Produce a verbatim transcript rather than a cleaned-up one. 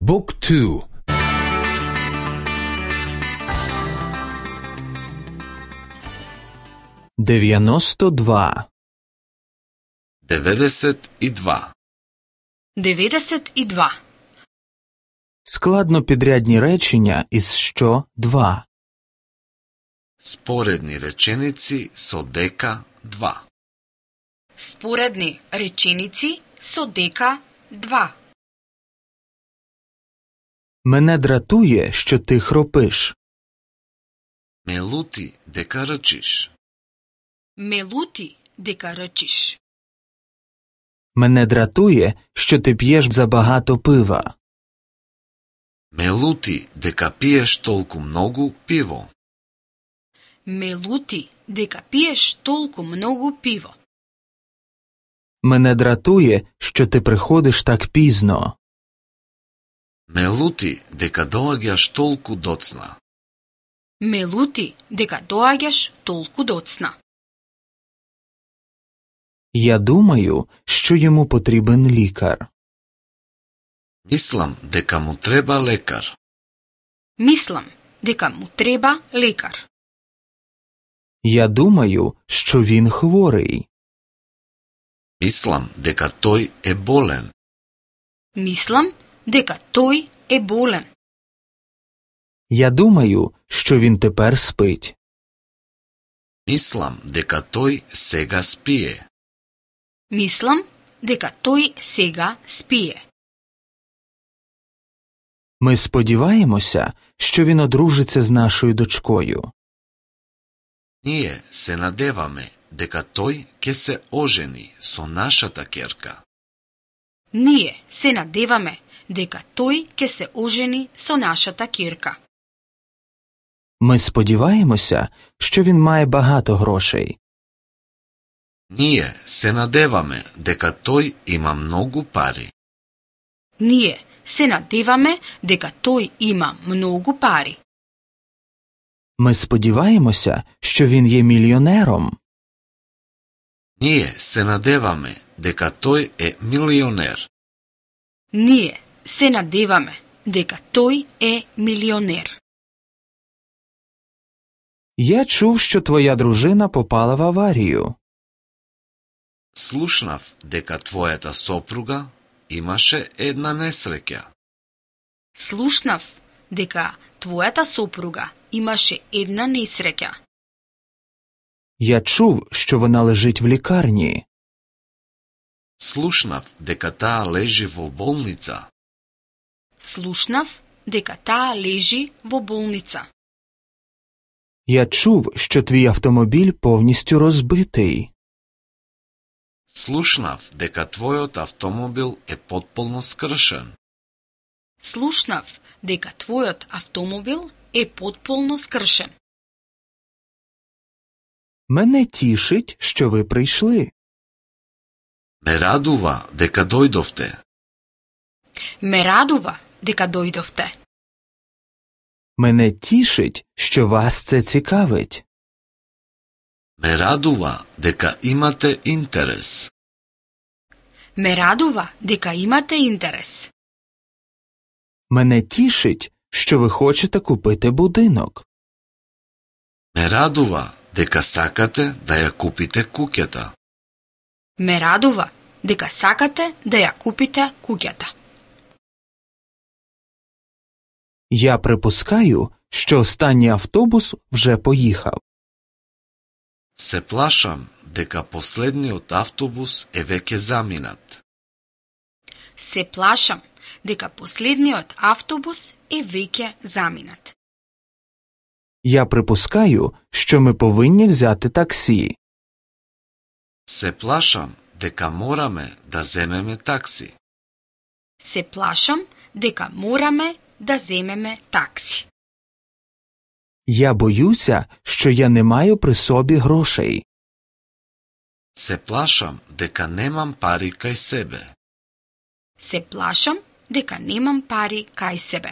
Book two. девяносто два. деветдесет и два. деветдесет и два. Складнопідрядні речення із що два. Споредни реченици со дека два. Споредни реченици со дека два. Мене дратує, що ти хропиш. Ме лути дека рчиш. Ме лути дека рчиш. Мене дратує, що ти п'єш забагато пива. Ме лути дека пиеш толку многу пиво. Ме лути дека пиеш толку многу пиво. Мене дратує, що ти приходиш так пізно. Ме лути дека доаѓаш толку доцна. Ме лути дека доаѓаш толку доцна. Я думаю, що йому потрібен лікар. Мислам дека му треба лекар. Мислам дека му треба лекар. Я думаю, що він хворий. Мислам дека тој е болен. Мислам дека тој е болен. Я думаю, що він тепер спить. Мислам дека тој сега спие. Мислам дека тој сега спие. Ми сподіваємося, що він одружиться з нашою дочкою. Ние се надеваме дека тој ќе се ожени со нашата ќерка. Ние се надеваме дека тој ќе се ожени со нашата ќерка. Ми сподіваємося, що він має багато грошей. Ние се надеваме дека тој има многу пари. Ние се надеваме дека тој има многу пари. Ми сподіваємося, що він є мільйонером. Ние се надеваме дека тој е милионер. Ние се надеваме дека тој е милионер. Я чув, що твоя дружина попала в аварію. Слушнав дека твојата сопруга имаше една несреќа. Слушнав дека твојата сопруга имаше една несреќа. Я чув, що вона лежить в лікарні. Слушнав дека таа лежи во болница. Слушнав дека таа лежи во болница. Я чув, що твій автомобіль повністю розбитий. Слушнав дека твојот автомобил е потполно скршен. Слушнав дека твојот автомобил е потполно скршен. Мене тішить, що ви прийшли. Ме радува дека дојдовте. Ме радува дека дојдовте. Мене тішить, що вас це цікавить. Ме радува дека имате интерес. Ме радува дека имате интерес. Мене тішить, що ви хочете купити будинок. Ме радува дека сакате да ја купите куќата. Ме радува дека сакате да ја купите куќата. Я припускаю, що останній автобус вже поїхав. Се плашам дека последниот автобус е веќе заминат. Се плашам дека последниот автобус е веќе заминат. Я припускаю, що ми повинні взяти таксі. Се плашам дека мораме да земеме такси. Се плашам дека мораме да земеме такси. Я боюся, що я не маю при собі грошей. Се плашам дека немам пари кај себе. Се плашам дека немам пари кај себе.